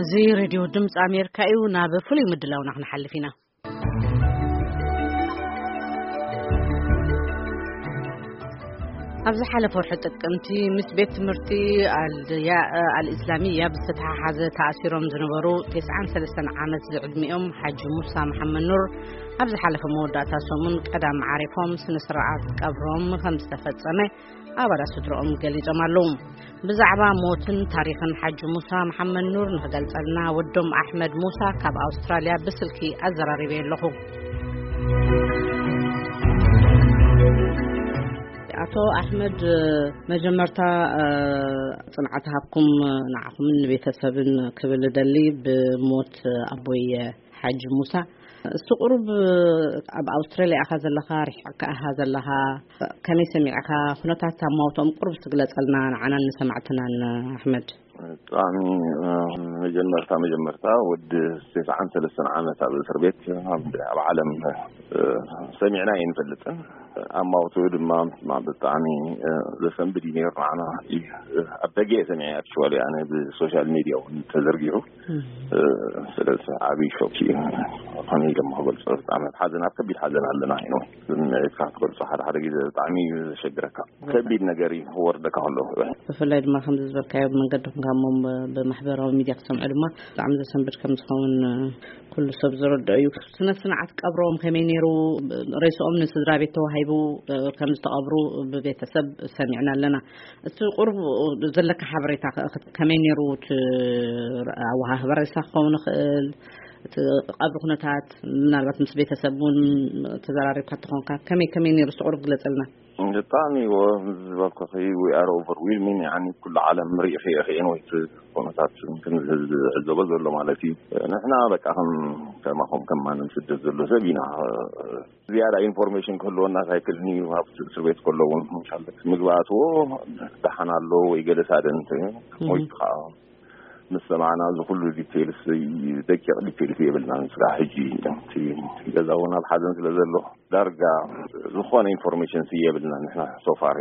እዚ ሬድዮ ድምፂ ኣሜሪካ እዩ። ናብ ፍሉይ ምድላውና ክንሓልፍ ኢና። ኣብ ዝሓለፈ ወርሒ ጥቅምቲ ምስ ቤት ትምህርቲ ኣልያ- ኣልእስላሚያ ብዝተተሓሓዘ ተኣሲሮም ዝነበሩ ተስዓን ሰለስተን ዓመት ዝዕድሚኦም ሓጂ ሙሳ መሓመድ ኑር ኣብ ዝሓለፈ መወዳእታ ሰሙን ቀዳም ዓሪፎም ስነ ስርዓት ቀብሮም ከም ዝተፈጸመ ኣባላት ስድሮኦም ገሊጾም ኣለዉ። ብዛዕባ ሞትን ታሪኽን ሓጂ ሙሳ መሓመድ ኑር ንክገልጸልና ወዶም ኣሕመድ ሙሳ ካብ ኣውስትራልያ ብስልኪ ኣዘራሪበ ኣለኹ። ኣቶ ኣሕመድ፣ መጀመርታ ጽንዓት ሃብኩም ንዓኹምን ንቤተሰብን ክብል እደሊ። ብሞት ኣቦይ ሓጂ ሙሳ፣ እስቲ ቁሩብ ኣብ ኣውስትራልያ ኢኻ ዘለኻ፣ ርሒቕካ ኢኻ ዘለኻ፣ ከመይ ሰሚዕካ? ኩነታት ኣማውትኦም ቁሩብ ትግለጸልና ንዓናን ንሰማዕትናን ኣሕመድ። ብጣዕሚ መጀመርታ መጀመርታ ወዲ ተስዓን ሰለስተን ዓመት ኣብ እስር ቤት ኣብ ዓለም ሰሚዕና ኣይንፈልጥን። ኣማውትኡ ድማ ብጣዕሚ ዘሰንብድ እዩ ነይሩ። ንዓና ኣብ ደገ እየ ሰሚዐ፣ ኣክቹዋሊ ኣነ ብሶሻል ሚድያ እውን ተዘርጊሑ። ስለዚ ዓብዪ ሾክ እዩ። ከመይ ኢሎም ክገልጾ፣ ብጣዕሚ ኣብ ሓዘን፣ ኣብ ከቢድ ሓዘን ኣለና። ይኖ ስምዒትካ ክትገልጾ ሓደ ሓደ ግዜ ብጣዕሚ እዩ ዘሸግረካ። ከቢድ ነገር እዩ ክወርደካ ከሎ። ብፍላይ ድማ ከምዚ ዝበልካዮ ብመንገዲ ኮንካ እሞ ብማሕበራዊ ሚድያ ክትሰምዖ ድማ ብጣዕሚ ዘሰንብድ ከም ዝኸውን ኩሉ ሰብ ዝረድኦ እዩ። ስነ ስርዓት ቀብሮም ከመይ ነይሩ? ሬስኦም ንስድራ ቤት ተዋሂቡ ከም ዝተቐብሩ ብቤተሰብ ሰሚዕና ኣለና። እቲ ቁሩብ ዘለካ ሓበሬታ ከ ከመይ ነይሩ? እቲ ኣወሃህባ ሬሳ ክኸውን ይኽእል፣ እቲ ቀብሪ ኩነታት ምናልባት ምስ ቤተሰብ እውን ተዘራሪብካ ተኾንካ ከመይ ከመይ ነይሩ? እስቲ ቁሩብ ግለጸልና። ብጣዕሚ እዎ፣ ዝበልኩኺ፣ we are overwhelming፣ ያኒ ኩሉ ዓለም ርኢ ኸየ ኸየን ወይ እቲ ኩነታት ከም ህዝቢ ዝዕዘቦ ዘሎ ማለት እዩ። ንሕና በቃ ከም ከማኹም ከም ማንም ስደት ዘሎ ሰብ ኢና። ዝያዳ ኢንፎርሜሽን ክህልወና ካይክልኒ፣ ኣብ እስር ቤት ከሎ እውን መሻለት ምግቢ ኣትዎ ደሓን ኣሎ ወይ ገለ ሳደን እንተ ሞይቱ ከዓ ምስ ሰማዕና እዚ ኩሉ ዲቴልስ፣ ደቂቕ ዲቴልስ የብልናን። ስጋ ሕጂ እቲ ገዛ እውን ኣብ ሓዘን ስለ ዘሎ ዳርጋ ዝኾነ ኢንፎርሜሽን የብልናን። ንሕና ሶፋር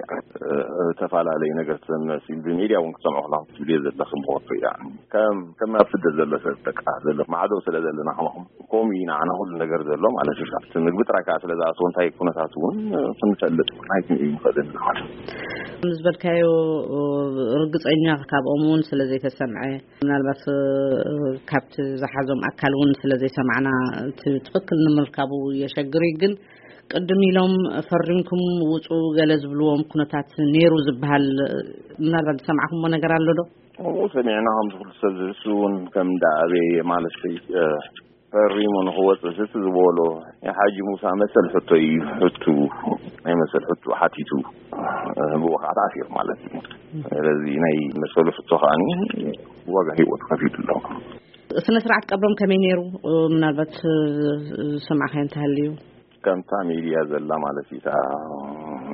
ተፈላለዩ ነገር ትሰምዕ ሲ ብሚድያ እውን ክትሰምዑ ክላ ትብልዮ ዘለኺ ምኾቶ። ከም ከም ኣብ ስደት ዘሎ ሰብ በቃ ዘሎ ማዕዶ ስለ ዘለና ከማኹም ከምኡ እዩ ንዓና ኩሉ ነገር ዘሎ ማለት እዩ። እቲ ምግቢ ጥራይ ከዓ ስለ ዝኣተወ እንታይ ኩነታት እውን ክንፈልጥ እውን ኣይክንእዩ ንኽእል ማለት እዩ። ከም ዝበልካዮ ርግጸኛ ካብኦም እውን ስለ ዘይተሰምዐ፣ ምናልባት ካብቲ ዝሓዞም ኣካል እውን ስለ ዘይሰማዕና እቲ ትኽክል ንምርካቡ የሸግር እዩ። ግን ቅድም ኢሎም ፈሪምኩም ውፁ ገለ ዝብልዎም ኩነታት ነይሩ ዝበሃል ምናልባት ዝሰማዕኩምዎ ነገር ኣሎ ዶ? ከምኡ ሰሚዕና፣ ከምዚ ኩሉ ሰብ ዝህሱ እውን ከም እንዳ ኣበየ ማለት ፈሪሙ ንኽወፅእ ስቲ ዝበሎ ናይ ሓጂ ሙሳ መሰል ሕቶ እዩ። ሕቱ ናይ መሰል ሕቱ ሓቲቱ፣ ብኡ ከዓ ተኣሲሩ ማለት እዩ። ስለዚ ናይ መሰሉ ሕቶ ከዓኒ ዋጋ ህይወቱ ከፊሉ ኣሎ። ስነ ስርዓት ቀብሮም ከመይ ነይሩ? ምናልባት ዝሰማዕካዮ እንተሃልዩ። ከምታ ሚድያ ዘላ ማለት እዩ፣ እታ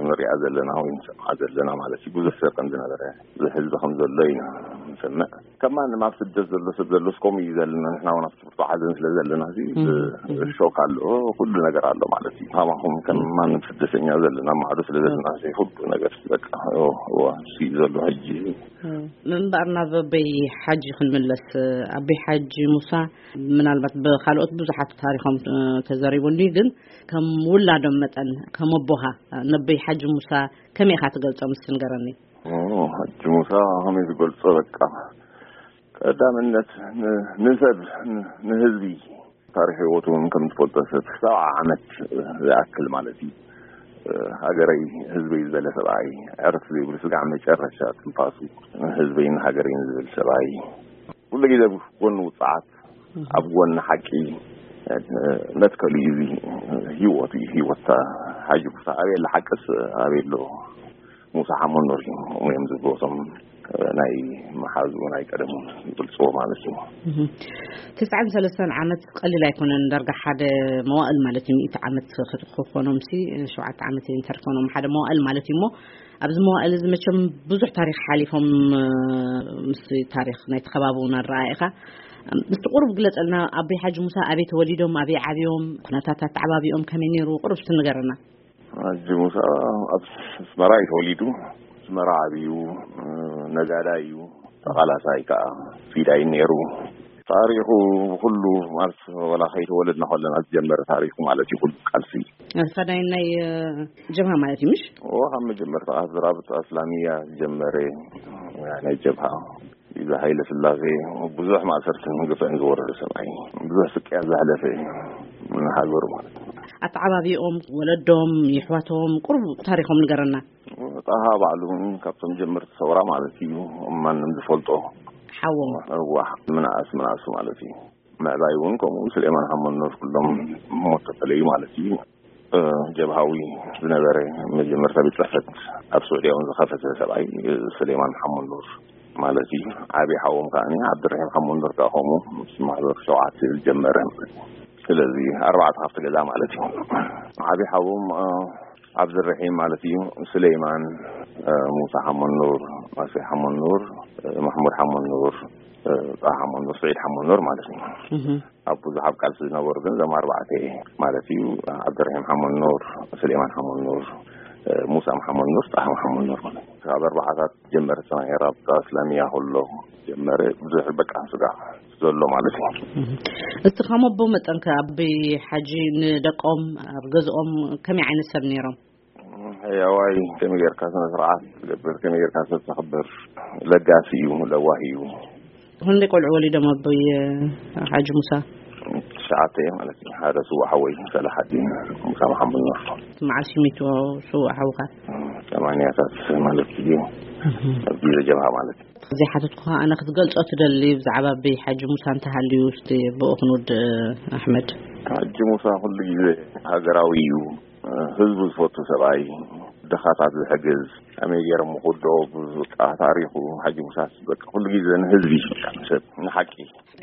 ንሪኣ ዘለና ወይ ንሰምዓ ዘለና ማለት እዩ። ብዙሕ ሰብ ከም ዝነበረ፣ ብዙሕ ህዝቢ ከም ዘሎ ኢና ንሰምዕ። ከም ማንም ኣብ ስደት ዘሎ ሰብ ዘሎ እስከምኡ እዩ ዘለና። ንሕና እውን ኣብ ብርቱዕ ሓዘን ስለ ዘለና እዚ እም፣ እም። ሾክ ኣሎ፣ ኩሉ ነገር ኣሎ ማለት እዩ። ከማኹም ከም ማንም ስደተኛ ዘለና ማዕዶ ስለ ዘለና እዚ ኩሉ ነገር በቃ፣ ኦ፣ ኦ፣ እሱ እዩ ዘሎ ሕጂ። እም። ምንባር ናብ ኣበይ ሓጂ ክንምለስ፣ ኣበይ ሓጂ ሙሳ ምናልባት ብኻልኦት ብዙሓት ታሪኾም፣ እ፣ ተዘሪቡኒ፣ ግን ከም ውላዶም መጠን፣ ከም ኣቦኻ፣ ነበይ ሓጂ ሙሳ ከመይ ኢኻ ትገልጾም? እስቲ ንገረኒ። ኦ፣ ሓጂ ሙሳ ከመይ ዝገልጾ? በቃ፣ ቀዳምነት ን-፣ ንሰብ፣ ን-፣ ንህዝቢ፣ ታሪኽ ህይወቱ እውን ከም ትፈልጦ፣ ሰብ ሰብዓ ዓመት ዝኣክል ማለት እዩ። ሃገረይ፣ ህዝበይ ዝበለ ሰብኣይ፣ ዕርፍ ዘይብሉ ስጋዕ መጨረሻ ትንፋሱ፣ ንህዝበይን ሃገረይን ዝብል ሰብኣይ፣ ኩሉ ግዜ ኣብ ጎኒ ውፅዓት፣ ኣብ ጎኒ ሓቂ፣ መትከሉ እዩ። እዚ ህይወት እዩ። ህይወት ሓጂ ሙሳ ኣበይ ኣሎ ሓቅስ ኣበይ ኣሎ? ሙሳ ሓመድ ኑር እዩ። እሞ እዮም ዝብሉ እቶም ናይ መሓዙ ናይ ቀደሙ ይገልፅዎ ማለት እዩ። እህ። ትስዓን ሰለስተን ዓመት ቀሊል ኣይኮነን። ዳርጋ ሓደ መዋእል ማለት እዩ። ሚእቲ ዓመት ክኾኖም ሲ ሸውዓተ ዓመት እንተርኮኖም ሓደ መዋእል ማለት እዩ። እሞ ኣብዚ መዋእል እዚ መቸም ብዙሕ ታሪኽ ሓሊፎም፣ እ፣ ምስ ታሪኽ ናይቲ ከባቢ እውን ኣረኣኢኻ። ምስቲ ቁሩብ ግለጸልና፣ ኣቦይ ሓጂ ሙሳ ኣበይ ተወሊዶም፣ ኣበይ ዓብዮም፣ ኩነታት ኣተዓባቢኦም ከመይ ነይሩ? ቁሩብ እስቲ ንገረና። ሓጂ ሙሳ ኣብ ኣስመራ እዩ ተወሊዱ። ኣስመራ ዓብዩ፣ እ፣ ነጋዳይ እዩ። ተቓላሳይ ከዓ ፊዳይ ነይሩ። ታሪኹ ኩሉ ማለት ወላ ከይተወለድና ከለና ዝጀመረ ታሪኹ ማለት እዩ። ኩሉ ቃልሲ ፈዳይ ናይ ጀብሃ ማለት እዩ፣ ምሽ? ኦ ካብ መጀመርታ ኣዝራብት ኣስላሚያ ዝጀመረ ናይ ጀብሃ፣ እዚ ሃይለ ስላሴ ብዙሕ ማእሰርትን ግፍዕን ዝወረደ ሰብኣይ፣ ብዙሕ ስቅያ ዘሕለፈ ንሃገሩ ማለት እዩ። ኣተዓባቢኦም፣ ወለዶም፣ ይሕዋቶም፣ ቁሩብ ታሪኾም ንገረና። ጣሃ ባዕሉ እውን ካብቶም ጀመርቲ ሰውራ ማለት እዩ። ማንም ዝፈልጦ ሓዎም። እዋ፣ ምንኣስ ምንኣሱ ማለት እዩ። ምዕባይ እውን ከምኡ፣ ስሌማን ሓመድ ኑር፣ ኩሎም ሞት ተፈለዩ ማለት እዩ። ጀብሃዊ ዝነበረ መጀመርታ ቤት ጽሕፈት ኣብ ስዑድያ እውን ዝኸፈተ ሰብኣይ ስሌማን ሓመድ ኑር ማለት እዩ። ዓብዪ ሓዎም ከኣ ዓብድራሂም ሓመድ ኑር ከኣ ከምኡ ምስ ማሕበር ሸውዓተ ዝጀመረ። ስለዚ ኣርባዕተ ካብቲ ገዛ ማለት እዩ። ዓብዪ ሓዎም ኣብድራሂም ማለት እዩ። ስሌማን፣ ሙሳ ሓመድ ኑር፣ ማሴ ሓመድ ኑር፣ ማሕሙድ ሓመድ ኑር፣ ጣሃ ሓመድ ኑር፣ ስዒድ ሓመድ ኑር ማለት እዩ። ኣብ ብዙሕ ኣብ ቃልሲ ዝነበሩ ግን እዞም ኣርባዕተ ማለት እዩ። ዓብደርሒም ሓመድ ኑር፣ ስሌማን ሓመድ ኑር፣ ሙሳ መሓመድ ኑር፣ ጣሃ መሓመድ ኑር ማለት እዩ። ካብ ኣርባዓታት ጀመረ ሰማይ ራብጣ እስላሚያ ከሎ ጀመረ ብዙሕ በቃ ስጋ ዘሎ ማለት እዩ። እስቲ ከም ኣቦ መጠንከ ኣበይ ሓጂ ንደቆም ኣብ ገዝኦም ከመይ ዓይነት ሰብ ነይሮም? ሕያዋይ ከመይ ጌርካ ስነ ስርዓት ትገብር፣ ከመይ ጌርካ ሰብ ተኽብር፣ ለጋሲ እዩ፣ ለዋህ እዩ። ክንደይ ቆልዑ ወሊዶም ኣቦይ ሓጂ ሙሳ? ትሽዓተ ማለት እዩ። ሓደ ስዉእ ሓወይ ሰላሓዲን ሙሳ መሓመድ ኑር። መዓስ እዩ ሚቱ ስዉእ ሓውካ? ሰማንያታት ማለት እዩ። ኣብ ግዜ ጀብሃ ማለት እዩ። ዘይሓተትኩኻ ኣነ ክትገልጾ ትደሊ ብዛዕባ ኣቦይ ሓጂ ሙሳ እንተሃልዩ እስቲ ብኡ ክንውድእ ኣሕመድ። ሓጂ ሙሳ ኩሉ ግዜ ሃገራዊ እዩ። ህዝቡ ዝፈቱ ሰብኣይ፣ ድኻታት ዝሕግዝ፣ ከመይ ገይሮም ክውድኦ ብቃ ታሪኹ ሓጂ ሙሳስ በቃ ኩሉ ግዜ ንህዝቢ ሰብ ንሓቂ።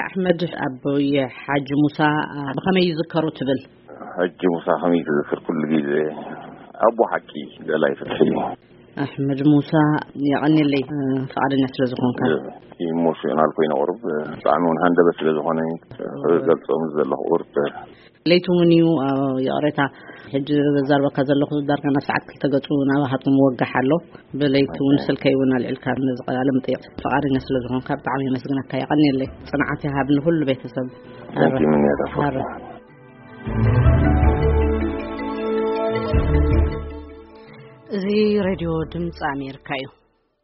ኣሕመድ ኣቦይ ሓጂ ሙሳ ብኸመይ ይዝከሩ ትብል? ሓጂ ሙሳ ከመይ ትዝክር ኩሉ ግዜ ኣቦ ሓቂ ደላይ ፍትሒ። ኣሕመድ ሙሳ የቐንየለይ ፍቓደኛ ስለ ዝኾንካ። ኢሞሽናል ኮይነ ቁሩብ ብጣዕሚ እውን ሃንደበት ስለ ዝኾነ ገልጾም ዘለኹ ቁሩብ ለይቲ እውን እዩ። ይቕሬታ ሕጂ ዘዛርበካ ዘለኹ ዳርጋ ናብ ሰዓት ክልተ ገጹ ናባኻትኩም ወጋሕ ኣሎ። ብለይቲ እውን ስልከይ እውን ኣልዒልካ ነዚ ቃለ መጠይቕ ፍቓደኛ ስለ ዝኾንካ ብጣዕሚ የመስግነካ። የቐንየለይ። ጽንዓት ይሃብ ንኹሉ ቤተሰብ። Thank you፣ ምንያት ኣፈወርቂ። ሃረ። እዚ ሬድዮ ድምፂ ኣሜሪካ እዩ።